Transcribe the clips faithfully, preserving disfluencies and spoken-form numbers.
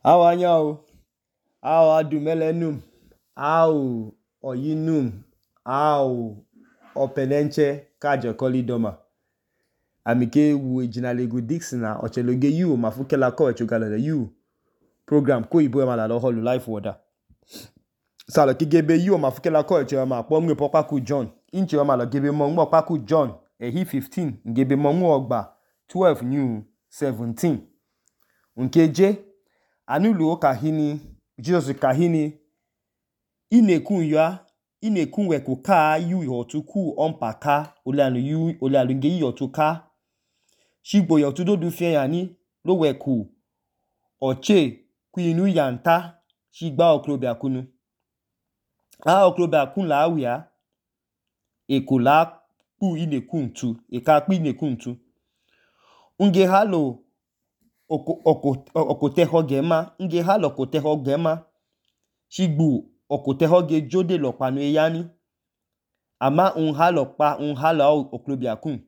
Awa anyao, awa adumelenum, au oyinum, au openenche kajekoli doma. Amike wu ejinalegu Dixon na ocheloge yu mafukela ko echogalele yu program ko ibo emala lo holu life water. Salo kigebe yu mafukela ko echo ma po mwe popaku John. Inche emala gebe mo mwe popaku John ehi fifteen, ngebe mo mwe ogba twelve new seventeen. Unkeje anulu okahini Jesus kahini inekun ya inekun we kuka yu yotuku onpaka oleanu yu oleanu nge yotuka shigbo yotudo du fie yani lo weku oche ku inu yanta shigba okrobia kunu a okrobia kun la awia ekola pu inekun tu eka pu inekun tu unge halo oko oko okoteho gema nge halo okoteho gema shigbu okoteho ge jode lokpanu eyani ama un halo pa un halo okrobia kun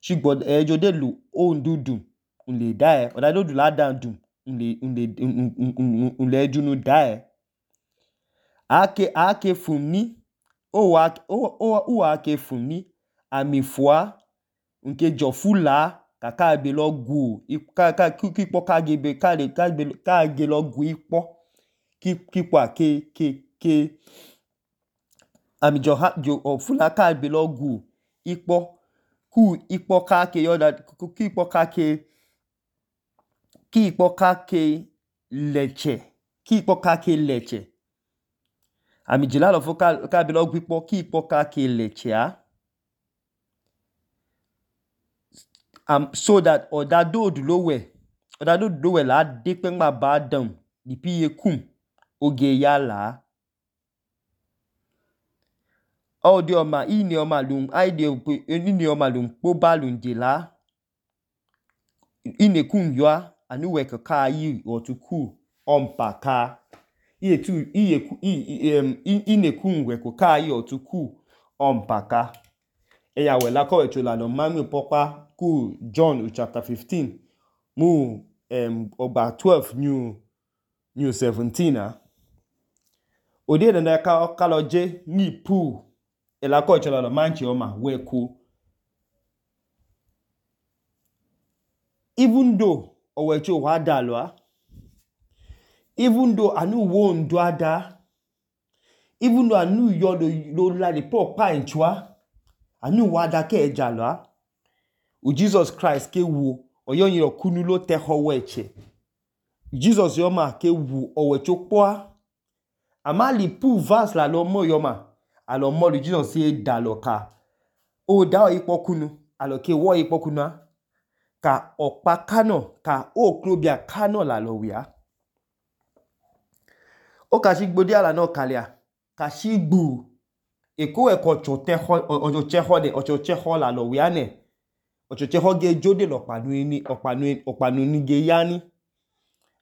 shigbo e jode lu ondudum unle dae odado du la dandum unle unle unle junu dae ake ake funni o wa o o o ake funni amifua nke jofula kaka be lo gu ka ka ki po ka gebe ka le ka be ka ge lo gu ipo ki ki po ke ke ke ami jo ha jo ofula ka be lo gu ipo ku ipo ka ke yoda ki ipo ka ke ki ipo ka ke leche ki ipo ka ke leche ami jila lo foka ka be lo gu ipo ki ipo ka ke leche a um, so that odado du lo we odado du lo we la de pe ngba ba dam di pi ye kum oge ya la o de oma ini oma lum ai de ini oma lum po ba lum de la ine kun yo anu we ka yi otuku onpaka iye tu iye ku ine kun we ko ka yi otuku onpaka eya we la ko echo la no mami popa ku John chapter fifteen mu um ogba twelve new new seventeen ah ode de na ka ka lo je ni pu ela ko echo la no manchi oma we ku even though owe cho wa da lo ah even though anu wo ndo ada even though anu yo lo lo la de po pa enchwa anu wa da ke eja lo ah u Jesus Christ ke wu oyoyin okunu lo te ho weche Jesus yoma ke wu owecho po ama li pu verse la lo mo yoma alo mo li Jesus se da lo ka o da o ipo kunu alo ke wo ipo kunu ka opa kano ka okrobia kano la lo wi a o ka shigbo di ala no kalia ka shigbu eko eko chote ho ojo che ho de ojo che ho la lo wi ane ojo che ho ge jode lo panu ni opanu opanu ni ge yani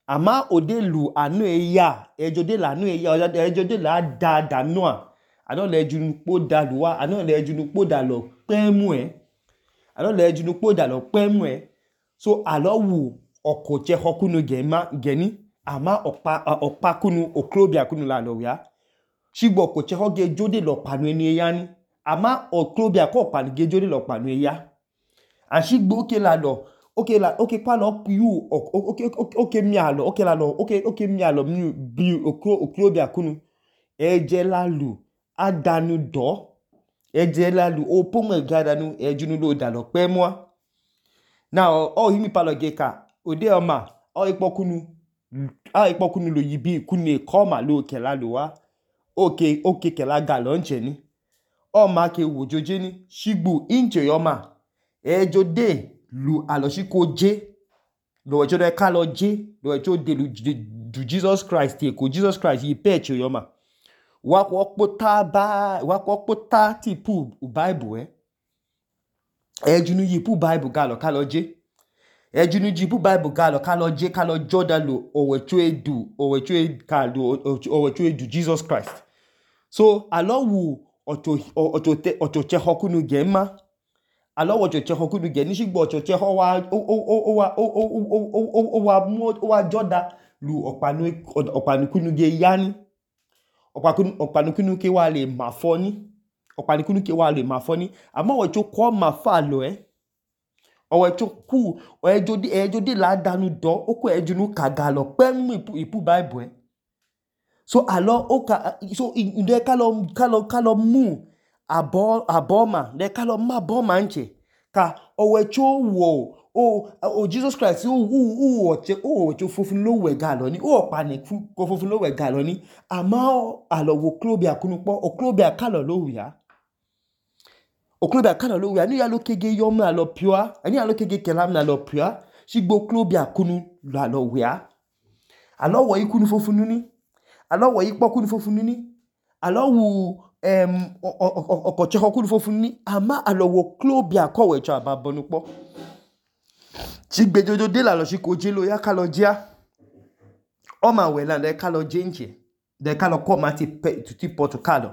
ama ode lu anu eya ejode la anu eya ejode la da da no a ano le junu po da luwa ano le junu po da lo pemu e ano le junu po da lo pemu e so alo wu oko che ho kunu gema geni ama opa opa kunu okrobia kunu la lo ya shigbo oko che ho ge jode lo panu ni eya ni ama okrobia ko panu ge jode lo panu eya ashigbo ke la lo okay la okay pa lo pu okay okay mi alo okay la lo okay okay mi alo mi bi okro okrobia kunu eje la lu adanu do eje la lu o po mo ga danu ejunu lo da lo pe mo now o himi pa lo ge ka ode oma o ipo kunu a ipo kunu lo yibi kunu e ko ma lo ke la lo wa okay okay ke la ga lo nche ni o ma ke wojoje ni shigbu inche yoma ejo de lu aloshiko je lo ejo de ka lo je lo ejo de lu du Jesus Christ e ko Jesus Christ yi pecho yoma wa ko pota ba wa ko pota ti pu Bible eh ejunu yi pu Bible ga lo ka lo je ejunu ji pu Bible ga lo ka lo je ka lo joda lo owecho edu owecho ka lo owecho edu Jesus Christ so alo wu oto oto oto che hokunu gema alo wo che hokunu ge ni shigbo oto che ho wa o o o wa o o o wa mo wa joda lu ọkpanukunu ge ya ni ọkpanukunu ke wa le mafọ ni ọkpanukunu ke wa le mafọ ni àmọ́ ọwọicho kọ mafọ alọ ẹ ọwọicho ku ẹjọ de la danu dọ ó kó ẹjọ nu kaga alọ pẹm ipu Bible ẹ so alọ ó ka so ǹdẹ kálọ kálọ kálọ mú abọ abọma ǹdẹ kálọ mú abọma nchẹ ka ọwọicho wọ o o Jesus Christ o o ọchẹ o ọchẹ fofun lo wẹga alọ ni o ọkpani ko fofun lo wẹga alọ ni àmọ́ alọ wo oklobia kunu kpọ oklobia kalọ lo wia oklobia kalọ lo wia ni ya lo kege yọmọ alọ pioa ani ya lo kege kelam na alọ pioa shigbo oklobia kunu lo alọ wia alọ wọ ikunu fofun ni alọ wọ ikpọ kunu fofun ni alọ wu em ọkọchẹ kunu fofun ni àmọ́ alọ wo oklobia kọwẹcho ababọnu kpọ chigbejojo de la lọ shi koje lo ya kalọ jia ọma wẹla ǹdẹ kalọ je nchẹ ǹdẹ kalọ kọ ma ti pe tuti pọtu kalọ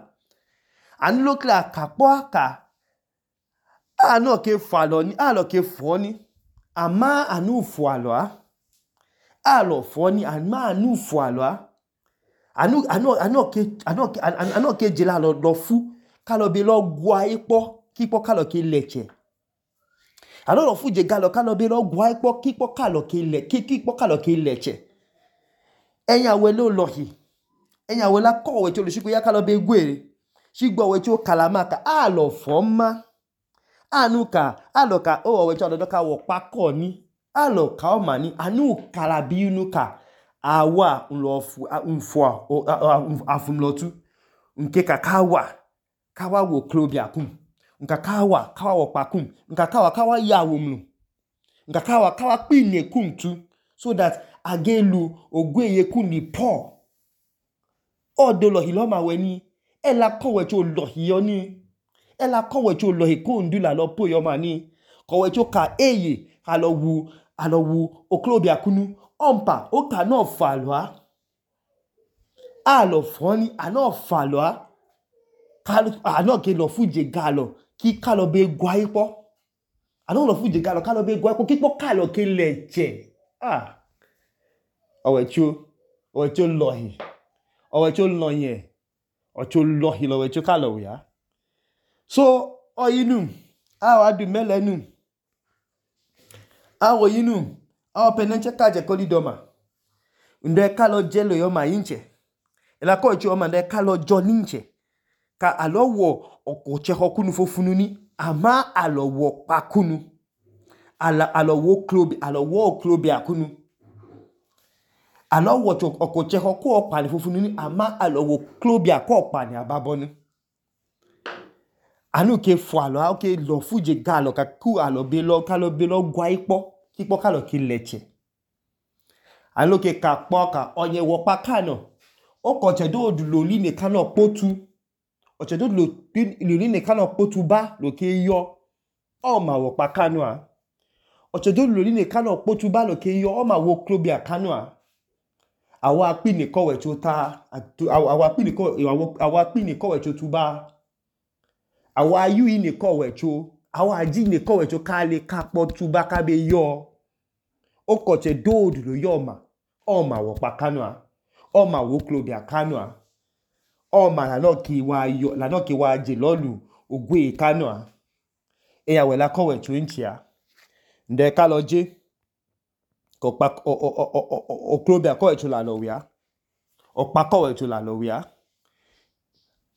anu lo kla kakpọ aka anọ ke falọ ni alọ ke fọ ni àmọ́ anu fọ alọ a alọ fọ ni àmọ́ anu fọ alọ a anu anu anu ke anu ke anu ke je la lọ lọ fu kalọ be lọ gwa ikpọ kikpọ kalọ ke lẹchẹ alọ lọ fu je galọ kalọ be lọ gwa ikpọ kikpọ kalọ ke lẹ kikpọ kalọ ke lẹchẹ ẹyin awẹ lo lọhi ẹyin awẹ la kọ ọwẹcho lo shikọ ya kalọ be gwere shigbo ọwẹcho kalama ka alọ fọ ma anu ka alọ ka o ọwẹcho alọdọ ka wọ pakọ ni alọ ka ọma ni anu kalabi unu ka awa nlọ mfọ afumlọtu nke ka kawa kawa wo oklobia kum nka kawa kawa wọ pakum nka kawa kawa ya womlu nka kawa kawa kpine kum tu so that agelu ogweye kun ni Paul ọdọ lọhi lọma wẹ ni ẹ la kọwẹcho lọhi yọ ni ẹ la kọwẹcho lọhi kó ndu la lọ po yọ ma ni kọwẹcho ka eye alọ wu alọ wu oklobia kunu ọmpa ó ka náà falọ a alọ fọ ni àná falọ a àná ke lọ fuje galọ kí kalọ be gwa ikpọ àná lọ fuje galọ kalọ be gwa ikpọ kíkpọ kalọ ke lẹchẹ ah ọwẹcho ọwẹcho lọhi ọwẹcho lọyẹ ọcho lọhi lọwẹcho kalọ wia so ọyinum awọ adu mẹlẹnum awọ yinum awọ pẹnẹnchẹ kajẹ kọlidọma ǹdẹ kalọ jẹ lo yọma yinchẹ ẹlakọ ìchẹ ọma ǹdẹ kalọ jọ ninchẹ ka alọ wọ ọkọchẹ kunu fofunu ni àmọ́ alọ wọ pakunu alọ wọ oklobia alọ wọ oklobia kunu alọ wọ ọkọchẹ kọ ọkpani fofunu ni àmọ́ alọ wọ oklobia kọ ọkpani ababọnu anu ke fọ alọ a ke lọ fuje galọ ka ku alọ be lọ kalọ be lọ gwa ikpọ kíkpọ kalọ ke lẹchẹ anu ke ka kpọ ka ọnyẹ wọ pakano ọkọchẹ do loli ne kanọ kpotu ọchẹ do loli ne kanọ kpotu ba lo ke yọ ọma wọ pakano a ọchẹ do loli ne kanọ kpotu ba lo ke yọ ọma wọ oklobia kano a awọ akpini kọwẹcho ta awọ akpini kọ awọ akpini kọwẹcho tu ba awọ ayu ne kọwẹcho awọ aji ne kọwẹcho ka le ka kpọ tu ba ka be yọ ọkọchẹ do lo yọ ọma ọma wọ pakano a ọma wọ oklobia kano a ọma lanọ ke wa yọ lanọ ke wa je lọlu ogwe kano a ẹyà wẹ la kọwẹcho nchia ǹdẹ kalọ je kọpa oklobia kọwẹcho la lọ wia ọpa kọwẹcho la lọ wia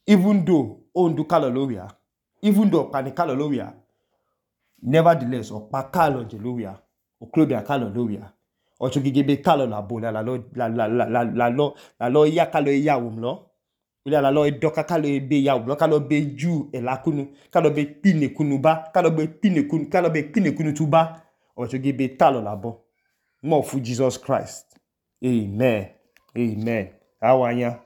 even though ondu kalọ lo wia even though ọkpani kalọ lo wia nevertheless ọpa kalọ je lo wia oklobia kalọ lo wia ọchọ gigebe kalọ la bo la lọ la la la la lọ la lọ ya kalọ ya wom lọ la lọ dọka kalọ be ya wom lọ kalọ be ju ẹlakunu kalọ be kpine kunu ba kalọ be kpine kunu kalọ be kpine kunu tu ba ọchọ gigebe kalọ la bo mọ fu Jesus Christ amen amen awanya.